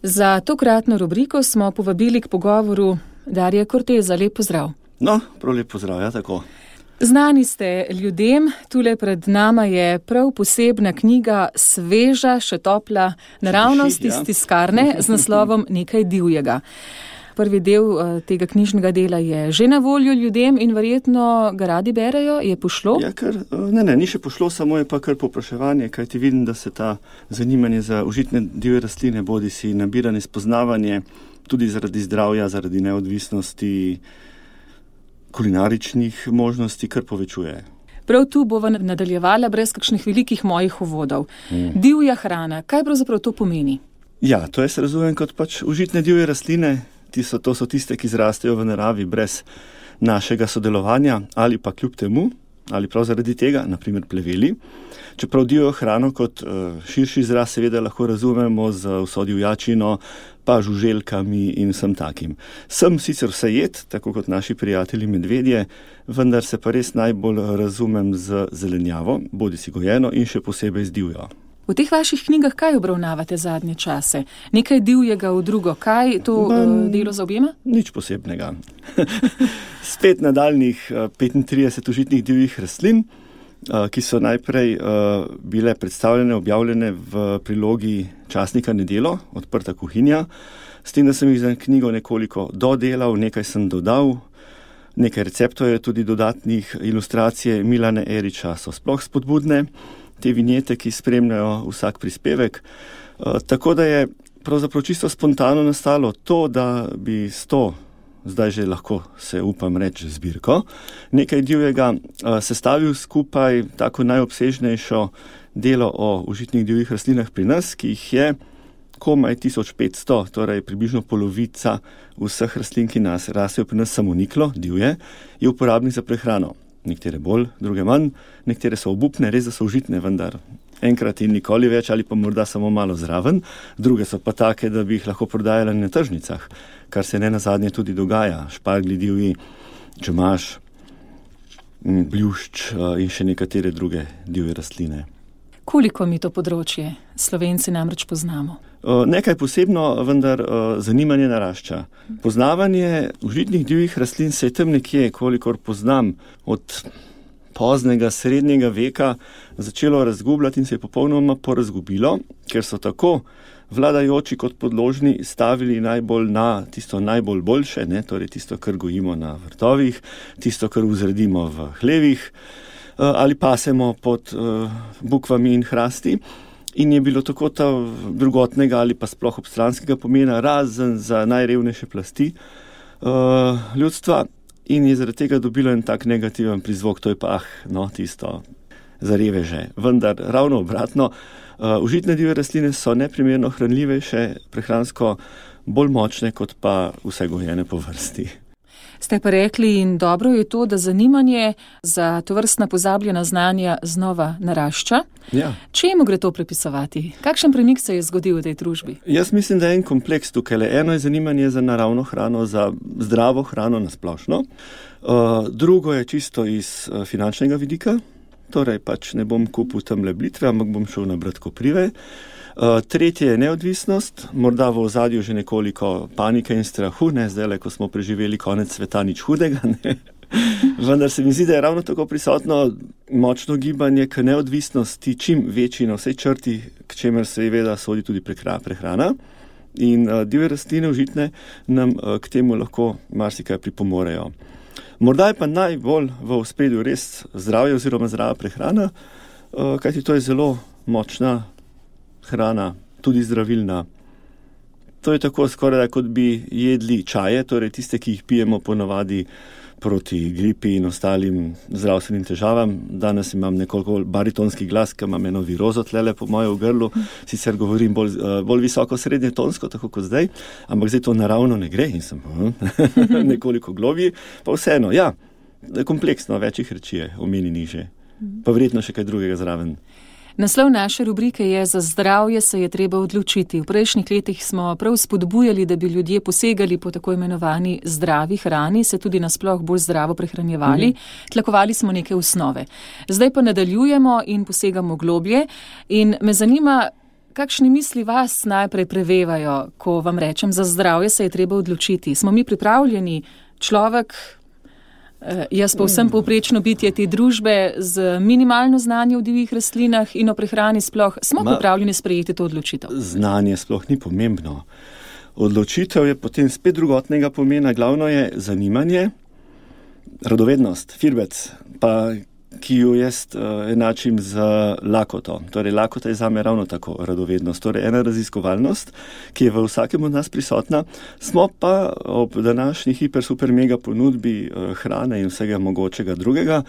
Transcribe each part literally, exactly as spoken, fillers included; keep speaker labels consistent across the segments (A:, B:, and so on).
A: Za tokratno rubriko smo povabili k pogovoru Darija Korteza. Lep pozdrav.
B: No, prav lep pozdrav, ja, tako.
A: Znani ste ljudem, tule pred nama je prav posebna knjiga, sveža, še topla, naravnost iz tiskarne z naslovom Nekaj divjega. Prvi del tega knjižnega dela je že na voljo ljudem in verjetno ga radi berejo. Je pošlo?
B: Ja, kar, ne, ne, ni še pošlo, samo je pa kar povpraševanje, kajti vidim, da se ta zanimanje za užitne divje rastline, bodi si nabiranje, spoznavanje, tudi zaradi zdravja, zaradi neodvisnosti, kulinaričnih možnosti, kar povečuje.
A: Prav tu bova nadaljevala brez kakšnih velikih mojih uvodov. Mm. Divja hrana, kaj pravzaprav to pomeni?
B: Ja, to jaz razumem kot pač užitne divje rastline. So, to so tiste, ki zrastejo v naravi brez našega sodelovanja ali pa kljub temu, ali prav zaradi tega, naprimer pleveli. Čeprav divjo hrano kot uh, širši izraz seveda lahko razumemo z vso divjačino, pa žuželkami in vsem takim. Sem sicer vse jed, tako kot naši prijatelji medvedje, vendar se pa res najbolj razumem z zelenjavo, bodi si gojeno in še posebej z divjo.
A: V teh vaših knjigah kaj obravnavate zadnje čase? Nekaj divjega v drugo. Kaj to Man, delo zaobjema?
B: Nič posebnega. Spet nadaljnih petintrideset užitnih divjih rastlin, ki so najprej bile predstavljene, objavljene v prilogi časnika Nedelo, Odprta kuhinja. S tem, da sem jih za knjigo nekoliko dodelal, nekaj sem dodal, nekaj receptov je tudi dodatnih, ilustracije Milana Eriča so sploh spodbudne, te vinjete, ki spremljajo vsak prispevek. E, tako da je pravzaprav čisto spontano nastalo to, da bi s to, zdaj že lahko se upam reči zbirko, nekaj divjega e, sestavil skupaj tako najobsežnejšo delo o užitnih divjih rastlinah pri nas, ki jih je komaj tisoč petsto, torej približno polovica vseh rastlin, ki nas rasejo pri nas samoniklo, divje, je uporabnih za prehrano. Nekatere bolj, druge manj, nekatere so obupne, res da so užitne, vendar enkrat in nikoli več ali pa morda samo malo zraven, druge so pa take, da bi jih lahko prodajali na tržnicah, kar se ne nazadnje tudi dogaja. Šparglji divji, čemaž, bljušč in še nekatere druge divje rastline.
A: Koliko mi to področje Slovenci namreč poznamo?
B: Nekaj posebno, vendar zanimanje narašča. Poznavanje užitnih divjih rastlin se je tam nekje, kolikor poznam, od poznega srednjega veka začelo razgubljati in se je popolnoma porazgubilo, ker so tako vladajoči kot podložni stavili najbolj na tisto najbolj boljše, ne, torej tisto, kar gojimo na vrtovih, tisto, kar vzredimo v hlevih, ali pasemo pod uh, bukvami in hrasti. In je bilo tako ta drugotnega ali pa sploh obstranskega pomena, razen za najrevnejše plasti uh, ljudstva, in je zaradi tega dobilo en tak negativen prizvok, to je pa, ah, no, tisto za reveže. Vendar ravno obratno, uh, užitne divje rastline so neprimerno hranljivejše, prehransko bolj močne kot pa vse gojene po vrsti.
A: Ste pa rekli, in dobro je to, da zanimanje za tovrstna pozabljena znanja znova narašča.
B: Ja.
A: Čemu gre to pripisovati? Kakšen premik se je zgodil v tej družbi?
B: Jaz mislim, da je en kompleks tukaj. Eno je zanimanje za naravno hrano, za zdravo hrano nasplošno. Uh, drugo je čisto iz uh, finančnega vidika, torej pač ne bom kupil tamle blitve, ampak bom šel nabrat koprive. Uh, tretje je neodvisnost, morda v ozadju že nekoliko panike in strahu, ne zdaj, ko smo preživeli konec sveta, nič hudega, ne. Vendar se mi zdi, da je ravno tako prisotno močno gibanje k neodvisnosti, čim večji na vsej črti, k čemer seveda sodi tudi prehrana. In uh, divje rastline užitne nam uh, k temu lahko marsikaj pripomorejo. Morda je pa najbolj v ospredju res zdravje oziroma zdrava prehrana, uh, kajti to je zelo močna hrana, tudi zdravilna. To je tako skoraj, kot bi jedli čaje, torej tiste, ki jih pijemo ponavadi proti gripi in ostalim zdravstvenim težavam. Danes imam nekoliko baritonski glas, ki imam eno virozo tlele po moje v grlu, sicer govorim bolj, bolj visoko srednje tonsko, tako kot zdaj, ampak zdaj to naravno ne gre in sem nekoliko globji, pa vseeno, ja, kompleksno, večjih reči je, omeni niže, pa verjetno še kaj drugega zraven.
A: Naslov naše rubrike je Za zdravje se je treba odločiti. V prejšnjih letih smo prav spodbujali, da bi ljudje posegali po tako imenovani zdravi hrani, se tudi nasploh bolj zdravo prehranjevali. Mhm. Tlakovali smo neke osnove. Zdaj pa nadaljujemo in posegamo globlje in me zanima, kakšne misli vas najprej prevevajo, ko vam rečem, za zdravje se je treba odločiti? Smo mi pripravljeni, človek, jaz pa vsem povprečno bitje te družbe z minimalno znanje o divjih rastlinah in o prehrani sploh, smo Ma, pripravljeni sprejeti to odločitev?
B: Znanje sploh ni pomembno. Odločitev je potem spet drugotnega pomena, glavno je zanimanje, radovednost, firbec, pa ki jo jaz uh, enačim z lakoto. Torej, lakota je zame ravno tako radovednost. Torej, ena raziskovalnost, ki je v vsakem od nas prisotna, smo pa ob današnji hiper, super, mega ponudbi uh, hrane in vsega mogočega drugega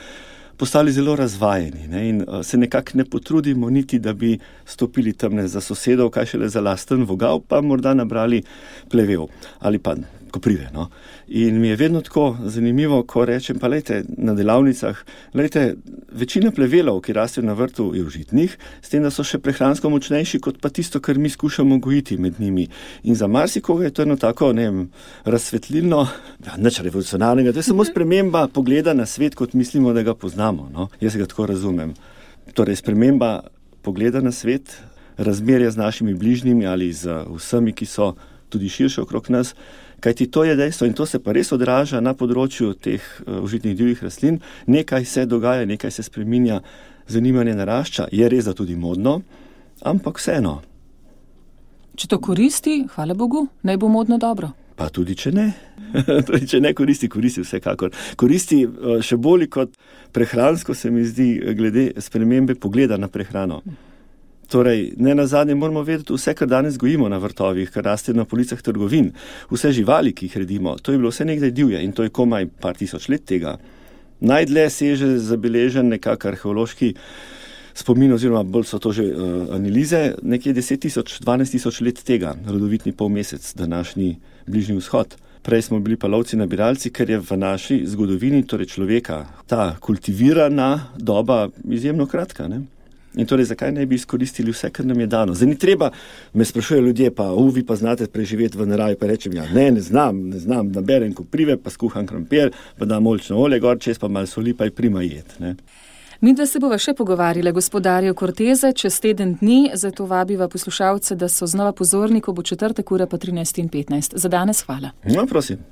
B: postali zelo razvajeni, ne? In uh, se nekako ne potrudimo niti, da bi stopili tamne za sosedov, kaj šele za lasten vogal, pa morda nabrali plevel ali pa koprive. No? In mi je vedno tako zanimivo, ko rečem, pa lejte, na delavnicah, lejte, večina plevelov, ki rastejo na vrtu, je užitnih, s tem, da so še prehransko močnejši, kot pa tisto, kar mi skušamo gojiti med njimi. In za marsikoga je to eno tako, ne vem, razsvetlilno, ja, nič revolucionarnega, to je samo sprememba pogleda na svet, kot mislimo, da ga poznamo. No? Jaz ga tako razumem. Torej, sprememba pogleda na svet, razmerja z našimi bližnjimi ali z vsemi, ki so tudi širše okrog nas, kajti to je dejstvo in to se pa res odraža na področju teh uh, užitnih divjih rastlin. Nekaj se dogaja, nekaj se spreminja, zanimanje narašča, je res da tudi modno, ampak vseeno.
A: Če to koristi, hvala Bogu, naj bo modno dobro.
B: Pa tudi če ne. Tudi če ne koristi, koristi vsekakor. Koristi uh, še bolj kot prehransko, se mi zdi, glede spremembe pogleda na prehrano. Torej, ne nazadnje moramo vedeti, vse, kar danes gojimo na vrtovih, kar raste na policah trgovin, vse živali, ki jih redimo, to je bilo vse nekdaj divje in to je komaj par tisoč let tega. Najdlje seže zabeležen nekak arheološki spomin, oziroma bolj so to že uh, analize, nekje deset tisoč, dvanajst tisoč let tega, rodovitni polmesec, današnji Bližnji vzhod. Prej smo bili pa lovci nabiralci, ker je v naši zgodovini, torej človeka, ta kultivirana doba izjemno kratka, ne? In torej, zakaj ne bi izkoristili vse, kar nam je dano? Zdaj ni treba, me sprašujejo ljudje, pa u, vi pa znate preživeti v naravi, pa rečem, ja, ne, ne znam, ne znam, naberem koprive, pa skuham krompir, pa dam oljčno olje gor, čez pa malo soli, pa je prima jed, ne.
A: Midva se bova še pogovarjala, gospodarju Corteze, čez teden dni, zato vabiva poslušalce, da so znova pozorni, ko bo četrtek ura pa trinajst in petnajst. Za danes hvala.
B: No, prosim.